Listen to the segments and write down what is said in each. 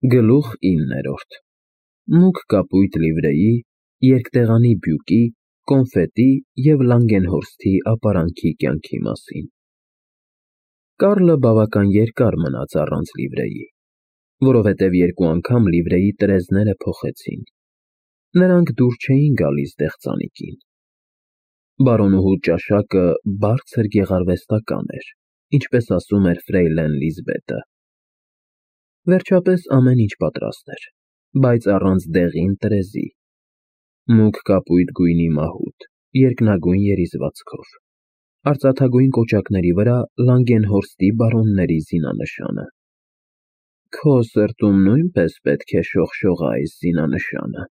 Գլուխ 9 Մուգ կապույտ լիվրեի, երկտեղանի բյուկի, կոնֆետի և Լանգենհորսթի ապարանքի կյանքի մասին։ Կարլը բավական երկար մնաց առանց լիվրեի, որովհետև երկու անգամ լիվրեի տրեզները փոխեցին։ Նրանք դուր չէին գալիս դեղծանիկին։ Բարոնուհու ճաշակը բարձր գեղարվեստական էր, ինչպես ասում էր ֆրեյլեն Լիզբետը։ Վերջապես ամեն ինչ պատրաստ էր, բայց առանց դեղին տրեզի։ Մուգ կապույտ գույնի մահուդ, երկնագույն երիզվածքով, արծաթագույն կոճակների վրա Լանգենհորսթի բարոնների զինանշանը։ Քո սրտում նույնպես պետք է շողշողա այս զինանշանը,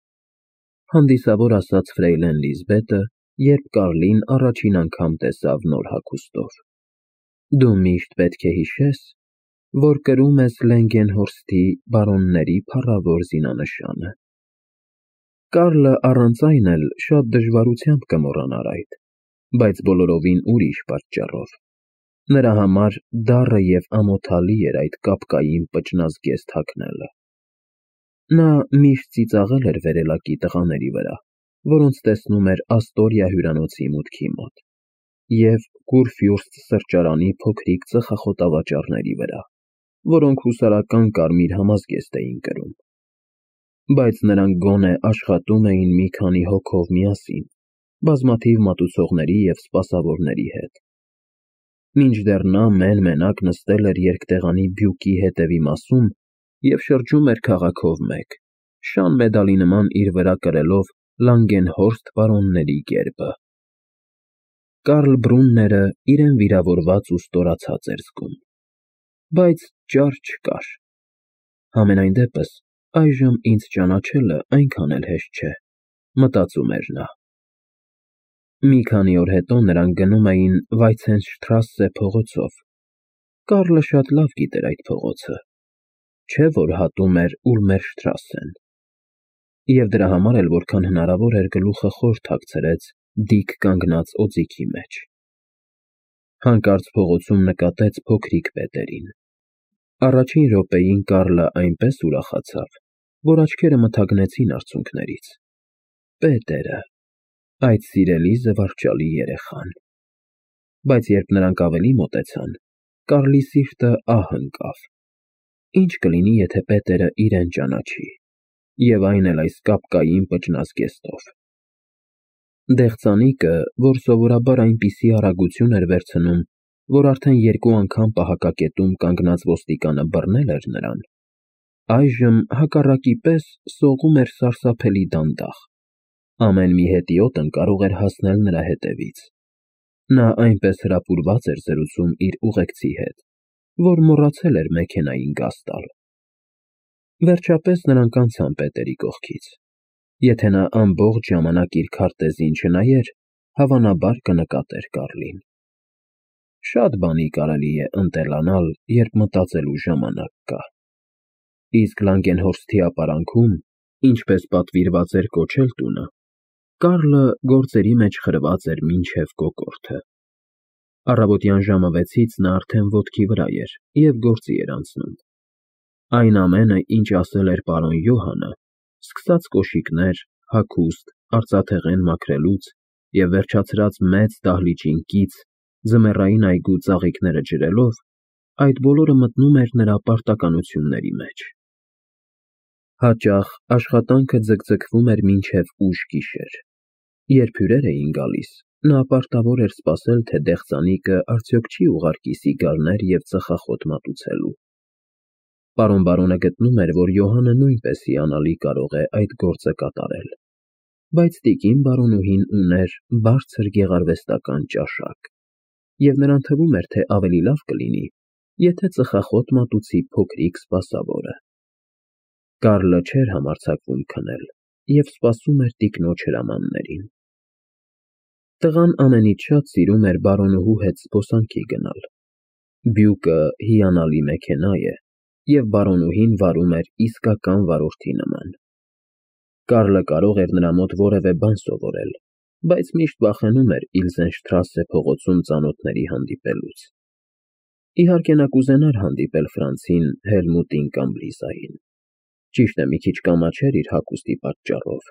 հանդիսավոր ասաց ֆրեյլեն Լիզբետը, երբ Կարլին առաջին անգամ տեսավ նոր հագուստով։ Դու միշտ պետք է հիշես, որ կրում ես Լանգենհորսթի բարոնների փառավոր զինանշանը։ Կարլը առանց այն էլ շատ դժվարությամբ կմոռանար այդ, բայց բոլորովին ուրիշ պատճառով։ Նրա համար դառը և ամոթալի էր այդ կապկային պճնազգեստ հագնելը։ Նա միշտ ծիծաղել էր վերելակի տղաների վրա, որոնց տեսնում էր Աստորիա հյուրանոցի մուտքի մոտ, և Կուրֆյուրստ սրճարանի փոքրիկ ծխախոտավաճառների վրա, որոնք հուսարական կարմիր համազգեստ էին կրում։ Բայց նրանք գոնե աշխատում էին մի քանի հոգով միասին, բազմաթիվ մատուցողների և սպասավորների հետ։ Մինչդեռ նա մեն֊մենակ նստել էր երկտեղանի բյուկի հետևի մասում և շրջում էր քաղաքով մեկ, շան մեդալի նման իր վրա կրելով Լանգենհորսթ բարոնների գերբը։ Կարլ Բրունները իրեն վիրավորված ու ստորացած էր զգում, բայց ճար չկար։ Համենայն դեպս, այժմ ինձ ճանաչելը այնքան էլ հեշտ չէ, մտածում էր նա։ Մի քանի օր հետո նրանք գնում էին Վայցենշտրասսե փողոցով։ Կարլը շատ լավ գիտեր այդ փողոցը, չէ՞ որ հատում էր Ուլմերշտրասեն։ Եվ դրա համար էլ որքան հնարավոր էր գլուխը խոր թաքցրեց դիկ կանգնած օձիքի մեջ։ Հանկարծ փողոցում նկատեց փոքրիկ Պետերին։ Առաջին րոպեին Կարլը այնպես ուրախացավ, որ աչքերը մթագնեցին արցունքներից։ Պետերը, այդ սիրելի զվարճալի երեխան։ Բայց երբ նրանք ավելի մոտեցան, Կարլի սիրտը ահ ընկավ։ Ինչ կլինի, եթե Պետերը իրեն ճանաչի, և այն էլ այս կապկային պճնազգեստով։ Դեղծանիկը, որ սովորաբար այնպիսի արագություն էր վերցնում, որ արդեն երկու անգամ պահակակետում կանգնած ոստիկանը բռնել էր նրան, այժմ հակառակի պես սողում էր սարսափելի դանդաղ։ Ամեն մի հետիոտն կարող էր հասնել նրա հետևից։ Նա այնպես հրապուրված էր զրուցում իր ուղեկցի հետ, որ մոռացել էր մեքենային գազ տալ։ Վերջապես նրանք անցան Պետերի կողքից։ Եթե նա ամբողջ ժամանակ իր քարտեզին չնայեր, հավանաբար կնկատեր Կարլին։ Շատ բանի կարելի է ընտելանալ, երբ մտածելու ժամանակ կա։ Իսկ Լանգենհորսթի ապարանքում, ինչպես պատվիրված էր կոչել տունը, Կարլը գործերի մեջ խրված էր մինչև կոկորդը։ Առավոտյան ժամը 6-ից նա արդեն ոտքի վրա էր և գործի էր անցնում։ Այն ամենը, ինչ ասել էր պարոն Յոհանը, սկսած կոշիկներ, հագուստ, արծաթեղեն մաքրելուց և վերջացրած մեծ դահլիճին կից, ձմեռային այգու ծաղիկները ջրելով, այդ բոլորը մտնում էր նրա պարտականությունների մեջ։ Հաճախ աշխատանքը ձգձգվում էր մինչև ուշ գիշեր։ Երբ հյուրեր էին գալիս, նա պարտավոր էր սպասել, թե դեղծանիկը արդյոք չի ուղարկի սիգարներ և ծխախոտ մատուցելու։ Պարոն բարոնը գտնում էր, որ Յոհանը նույնպես հիանալի կարող է այդ գործը կատարել, բայց տիկին բարոնուհին ուներ բարձր գեղարվեստական ճաշակ, և նրան թվում էր, թե ավելի լավ կլինի, եթե ծխախոտ մատուցի փոքրիկ սպասավորը։ Կարլը չէր համարձակվում քնել և սպասում էր տիկնոջ հրամաններին։ Տղան ամենից շատ սիրում էր բարոնուհու հետ զբոսանքի գնալ։ Բյուկը հիանալի մեքենա է, և բարոնուհին վարում էր իսկական վարորդի նման։ Կարլը կարող էր նրա մոտ որևէ բան սովորել, բայց միշտ վախենում էր Իլզենշտրասե փողոցում ծանոթների հանդիպելուց։ Իհարկե նա կուզենար հանդիպել Ֆրանցին, Հելմուտին կամ Լիզային։ Ճիշտ է, մի քիչ կամաչեր իր հագուստի պատճառով,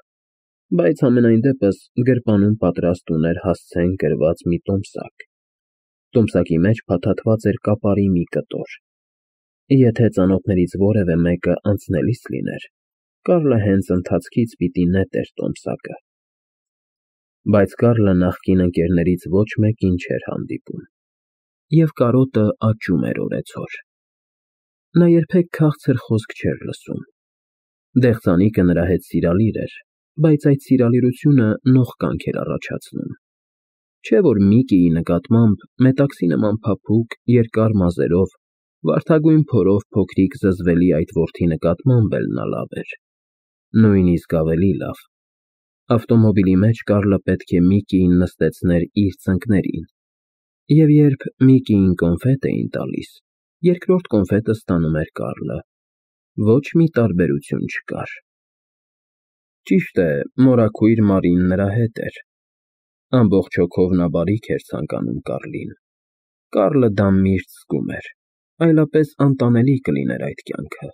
բայց համենայն դեպս գրպանում պատրաստ ուներ հասցեն կրված մի տոմսակ։ Տոմսակի մեջ փաթաթված էր կապարի մի կտոր։ Եթե ծանոթներից որևէ մեկը անցնելիս լիներ, Կարլը հենց ընթացքից պիտի նետեր տոմսակը։ Բայց Կարլը նախկին ընկերներից ոչ մեկին չէր հանդիպում, և կարոտը աճում էր օրեցօր։ Նա երբեք քաղցր խոսք չէր լսում։ Դեղձանիկը նրա հետ սիրալիր էր, բայց այդ սիրալիրությունը նողկանք էր առաջացնում։ Չէ՞ որ Միկիի նկատմամբ մետաքսի նման փափուկ, երկար մազերով, վարդագույն փորով փոքրիկ զզվելի այդ որդի նկատմամբ էլ նա լավ էր, նույնիսկ ավելի լավ։ Ավտոմոբիլի մեջ Կարլը պետք է Միկիին նստեցներ իր ծնկներին, և երբ Միկիին կոնֆետ էին տալիս, երկրորդ կոնֆետը ստանում էր Կարլը։ Ոչ մի տարբերություն չկար։ Ճիշտ է, մորաքույր Մարին նրա հետ էր։ Ամբողջ հոգով նա բարիք էր ցանկանում Կարլին։ Կարլը դա միշտ զգում էր, այլապես անտանելի կլիներ այդ կյանքը։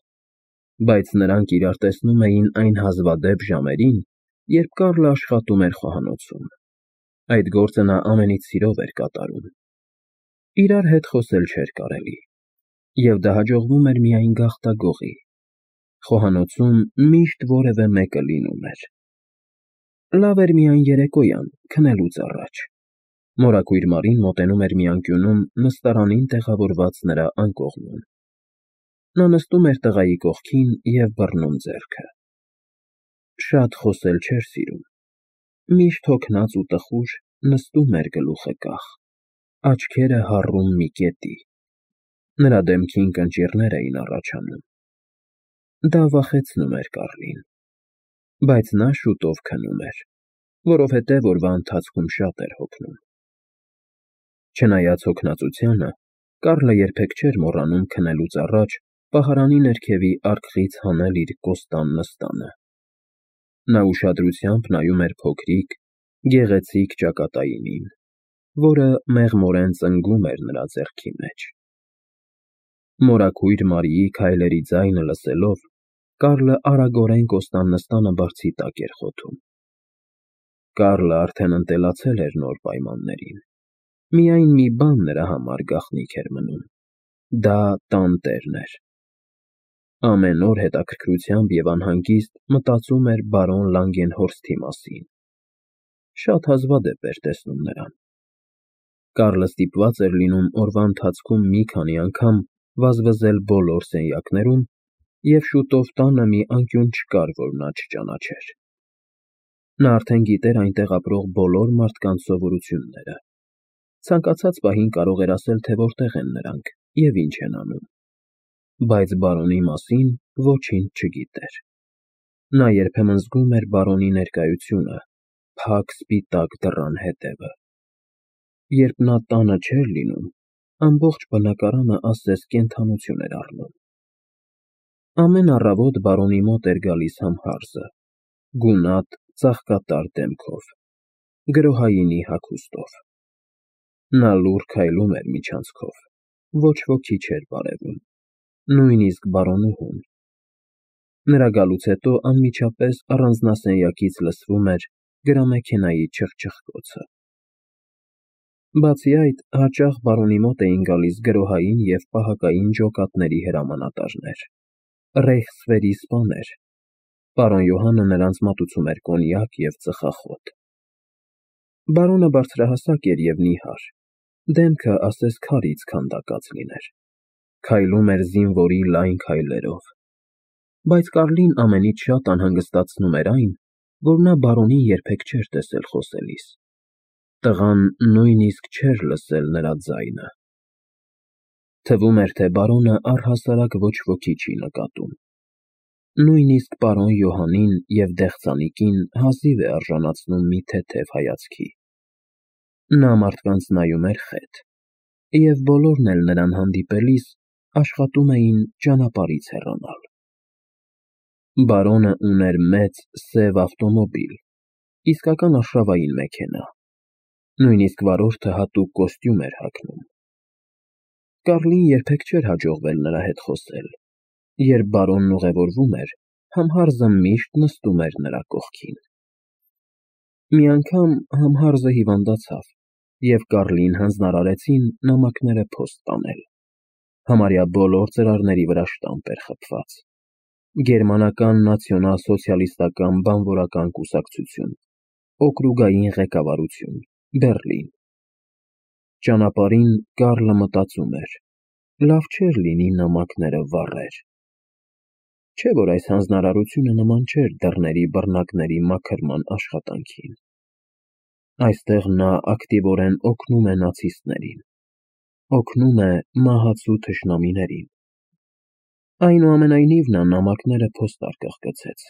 Բայց նրանք իրար տեսնում էին այն հազվադեպ ժամերին, երբ Կարլը աշխատում էր խոհանոցում։ Այդ գործը նա ամենից սիրով էր կատարում։ Իրար հետ խոսել չէր կարելի, և դա հաջողվում էր միայն գաղտագողի։ Խոհանոցում միշտ որևէ մեկը լինում էր։ Լավ էր միայն երեկոյան, քնելուց առաջ։ Մորաքույր Մարին մոտենում էր մի անկյունում նստարանին տեղավորված նրա անկողնում։ Նա նստում էր տղայի կողքին և բռնում ձեռքը։ Շատ խոսել չէր սիրում։ Միշտ հոգնած ու տխուր նստում էր գլուխը կախ, աչքերը հառում մի կետի։ Նրա դեմքին կնճիռներ էին առաջանում։ Դա վախեցնում էր Կարլին։ Բայց նա շուտով քնում էր, որովհետև օրվա ընթացքում շատ էր հոգնում։ Չնայած հոգնածությանը, Կարլը երբեք չէր մոռանում քնելուց առաջ պահարանի ներքևի արկղից հանել իր կոստան նստանը։ Նա ուշադրությամբ նայում էր փոքրիկ, գեղեցիկ ճակատայինին, որը մեղմորեն ծնգում էր նրա ձեռքի մեջ։ Մորաքույր Մարիի քայլերի ձայնը լսելով, Կարլը արագորեն կոստան նստանը բարձի տակ էր խոթում։ Կարլը արդեն ընտելացել էր նոր պայմաններին։ Միայն մի բան նրա համար գաղտնիք էր մնում. դա տանտերն էր։ Ամեն օր հետաքրքրությամբ և անհանգիստ մտածում էր բարոն Լանգենհորսթի մասին։ Շատ հազվադեպ էր տեսնում նրան։ Կարլը ստիպված էր լինում օրվա ընթացքում մի քանի անգամ վազվզել բոլոր սենյակներում, և շուտով տանը մի անկյուն չկար, որ նա չճանաչեր։ Նա արդեն գիտեր այնտեղ ապրող բոլոր մարդկանց սովորությունները։ Ցանկացած պահին կարող էր ասել, թե որտեղ են նրանք և ինչ են անում։ Բայց բարոնի մասին ոչինչ չգիտեր։ Նա երբեմն զգում էր բարոնի ներկայությունը, փակ սպիտակ դռան հետևը։ Երբ նա տանը չէր լինում, ամբողջ բնակարանը ասես կենդանություն էր առնում։ Ամեն առավոտ բարոնի մոտ էր գալիս համհարզը, գունատ, ծաղկատար դեմքով, գրոհայինի հագուստով։ Նա լուռ քայլում էր միջանցքով, ոչ ոքի չէր բարևում, նույնիսկ բարոնուհուն։ Նրա գալուց հետո անմիջապես առանձնասենյակից լսվում էր գրամեքենայի չխչխկոցը։ Բացի այդ, հաճախ բարոնի մոտ էին գալիս գրոհային և պահակային ջոկատների հրամանատարներ, ռեյխսվերի սպաներ։ Պարոն Յոհանը նրանց մատուցում էր կոնյակ և ծխախոտ։ Բարոնը բարձրահասակ էր և նիհար, դեմքը ասես քարից քանդակած լիներ։ Քայլում էր զինվորի լայն քայլերով։ Բայց Կարլին ամենից շատ անհանգստացնում էր այն, որ նա բարոնին երբեք չէր տեսել խոսելիս։ Տղան նույնիսկ չէր լսել նրա ձայնը։ Թվում էր, թե բարոնը առհասարակ ոչ ոքի չի նկատում։ Նույնիսկ պարոն Յոհանին և դեղձանիկին հազիվ է արժանացնում մի թեթև հայացքի։ Նա մարդկանց նայում էր խետ, և բոլորն էլ նրան հանդիպելիս աշխատում էին ճանապարհից հեռանալ։ Բարոնը ուներ մեծ, սև ավտոմոբիլ, իսկական արշավային մեքենա։ Նույնիսկ վարորդը հատուկ կոստյում էր հագնում։ Կարլին երբեք չէր հաջողվել նրա հետ խոսել։ Երբ բարոնն ուղևորվում էր, Համհարզը միշտ նստում էր նրա կողքին։ Մի անգամ Համհարզը հիվանդացավ, և Կարլին հանձնարարեցին նամակները փոստ տանել։ Համարյա բոլոր ծրարների վրա շտամպ էր խփված։ Գերմանական նացիոնալ-սոցիալիստական բանվորական կուսակցություն, օկրուգային ղեկավարություն, Բեռլին։ Ճանապարհին Կարլը մտածում էր. լավ չէր լինի նամակները վառեր։ Չէ՞ որ այս հանձնարարությունը նման չէր դռների բռնակների մաքրման աշխատանքին։ Այստեղ նա ակտիվորեն օգնում է նացիստներին, օգնում է մահացու թշնամիներին։ Այնուամենայնիվ նա նամակները փոստարկղ գցեց։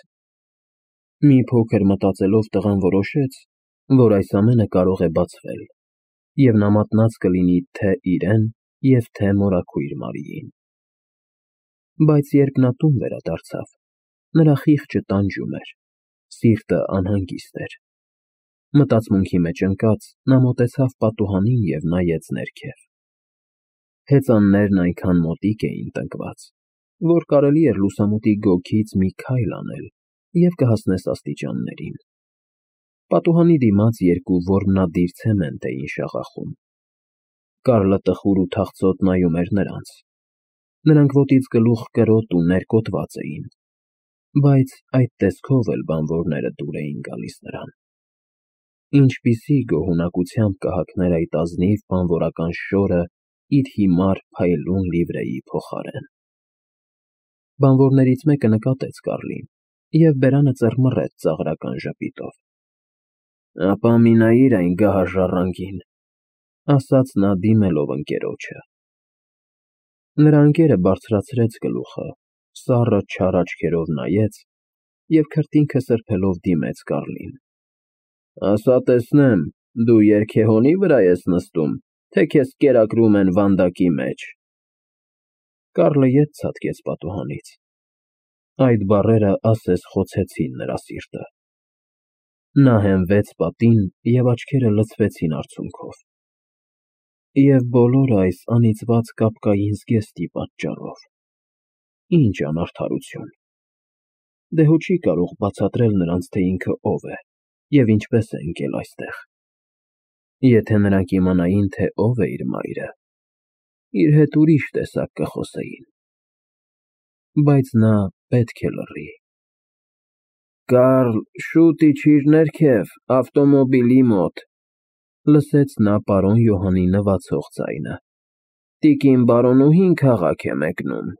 Մի փոքր մտածելով տղան որոշեց, որ այս ամենը կարող է բացվել, և նա մատնած կլինի թե իրեն և թե մորաքույր Մարիին։ Բայց երբ նա տուն վերադարձավ, նրա խիղճը տանջում էր, սիրտը անհանգիստ էր։ Մտածմունքի մեջ ընկած՝ նա մոտեցավ պատուհանին և նայեց ներքև։ Հեծաններն այնքան մոտիկ էին տնկված, որ կարելի էր լուսամուտի գոգից մի քայլ անել և կհասնես աստիճաններին։ Պատուհանի դիմաց երկու որմնադիր ցեմենտ էին շաղախում։ Կարլը տխուր ու թախծոտ նայում էր նրանց։ Նրանք ոտից գլուխ կրոտ ու ներկոտված էին, բայց այդ տեսքով էլ բանվորները դուր էին գալիս նրան։ Ինչպիսի գոհունակությամբ կհագներ այդ ազնիվ բանվորական շորը իր հիմար փայլուն լիվրեի փոխարեն։ Բանվորներից մեկը նկատեց Կարլին և բերանը ծռմռեց ծաղրական ժպիտով։ «Ապա մի նայիր այն գահաժառանգին», ասաց նա դիմելով ընկերոջը։ Նրա ընկերը բարձրացրեց գլուխը, սառը չար աչքերով նայեց և քրտինքը սրբելով դիմեց Կարլին։ «Ասա տեսնեմ, դու երգեհոնի՞ վրա ես նստում, թե քեզ կերակրում են վանդակի մեջ»։ Կարլը ետ ցատկեց պատուհանից։ Այդ բառերը ասես խոցեցին նրա սիրտը։ Նա հենվեց պատին և աչքերը լցվեցին արցունքով։ Եվ բոլոր այս անիծված կապկային զգեստի պատճառով։ Ինչ անարդարություն։ Դե հո չի կարող բացատրել նրանց, թե ինքը ով է և ինչպես է ընկել այստեղ։ Եթե նրանք իմանային, թե ով է իր մայրը, իր հետ ուրիշ տեսակ կխոսեին։ Բայց նա պետք է լռի։ «Կարլ, շուտ իջիր ներքև, ավտոմոբիլի մոտ», լսեց նա պարոն Յոհանի նվացող ձայնը։ «Տիկին բարոնուհին քաղաք է մեկնում»։